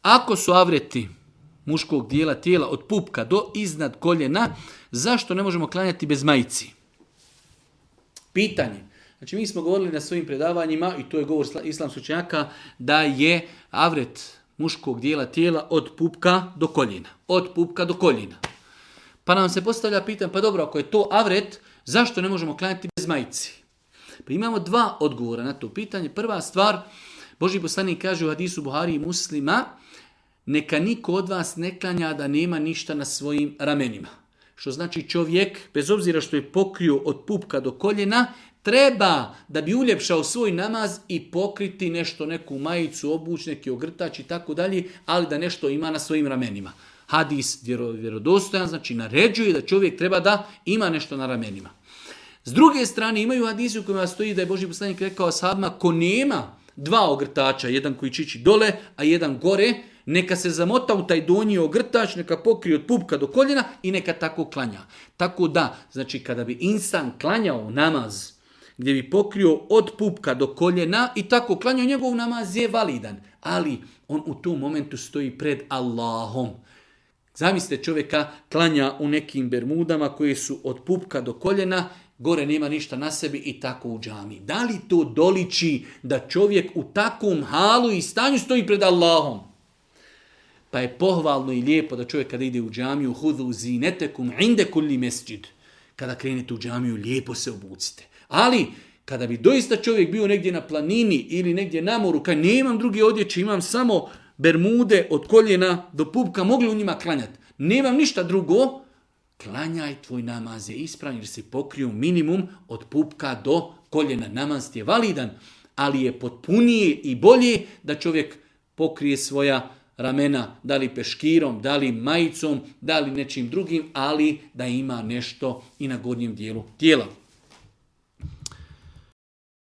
Ako su avreti muškog dijela tijela od pupka do iznad koljena, zašto ne možemo klanjati bez majici? Pitanje. Znači mi smo govorili na svojim predavanjima, i to je govor islamskog učenjaka, da je avret muškog dijela tijela od pupka do koljena. Od pupka do koljena. Pa nam se postavlja pitanje, pa dobro, ako je to avret, zašto ne možemo klanjati bez majici? Pa imamo dva odgovora na to pitanje. Prva stvar, Božji poslanik kaže u hadisu Buhari i Muslima, neka niko od vas ne klanja da nema ništa na svojim ramenima. Što znači čovjek, bez obzira što je pokrio od pupka do koljena, treba da bi uljepšao svoj namaz i pokriti nešto, neku majicu, obuć, neki ogrtač i tako dalje, ali da nešto ima na svojim ramenima. Hadis vjerodostojan, znači naređuje da čovjek treba da ima nešto na ramenima. S druge strane imaju hadisi u kojima stoji da je Božji poslanik rekao ashabima, ko nema dva ogrtača, jedan koji čiči dole, a jedan gore, neka se zamota u taj donji ogrtač, neka pokrije od pupka do koljena i neka tako klanja. Tako da, znači kada bi insan klanjao namaz, gdje bi pokrio od pupka do koljena i tako klanjao, njegov namaz je validan. Ali on u tom momentu stoji pred Allahom. Zamislite čovjeka klanja u nekim bermudama koje su od pupka do koljena, gore nema ništa na sebi i tako u džami. Da li to doliči da čovjek u takvom halu i stanju stoji pred Allahom? Pa je pohvalno i lijepo da čovjek kada ide u džamiju, hudu zinetekum inde kulli mesđid. Kada krenete u džamiju, lijepo se obucite. Ali, kada bi doista čovjek bio negdje na planini ili negdje na moru, kad nemam druge odjeće, imam samo bermude od koljena do pupka, mogli u njima klanjati. Nemam ništa drugo, klanjaj, tvoj namaz je ispravan jer si pokrio minimum od pupka do koljena. Namaz ti je validan, ali je potpunije i bolje da čovjek pokrije svoja ramena, da li peškirom, da li majicom, da li nečim drugim, ali da ima nešto i na gornjem dijelu tijela.